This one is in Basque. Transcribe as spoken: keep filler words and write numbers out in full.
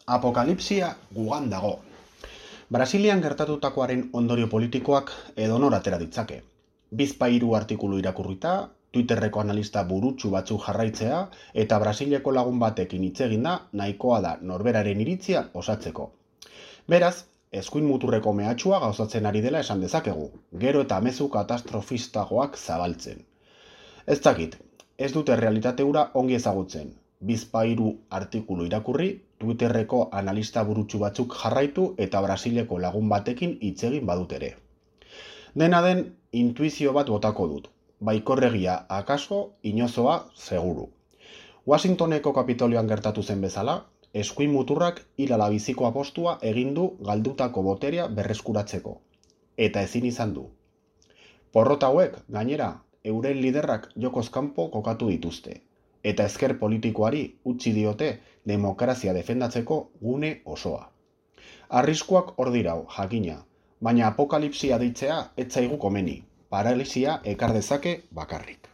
Apokalipsia gugan dago. Brasilian gertatutakoaren ondorio politikoak edonor atera ditzake. Bizpahiru artikulu irakurrita, Twitterreko analista burutsu batzuk jarraitzea eta Brasileko lagun batekin hitz eginda nahikoa da norberaren iritzia osatzeko. Beraz, eskuin muturreko mehatxua gauzatzen ari dela esan dezakegu, gero eta mezu katastrofistagoak zabaltzen. Ez dakit, ez dute realitate hura ongi ezagutzen. Bizpahiru artikulu irakurri, Twitterreko analista burutsu batzuk jarraitu eta Brasileko lagun batekin hitz egin badut ere. Dena den, intuizio bat botako dut. Baikorregia akaso, inozoa seguru. Washingtoneko Kapitolioan gertatu zen bezala, eskuin muturrak hilala biziko apostua egin du galdutako boterea berreskuratzeko. Eta ezin izan du. Porrota hauek, gainera, euren liderrak jokoz kanpo kokatu dituzte. Eta ezker politikoari utzi diote demokrazia defendatzeko gune osoa. Arriskuak hor dirau, jakina, baina apokalipsia deitzea ez zaigu komeni, paralisia ekar dezake bakarrik.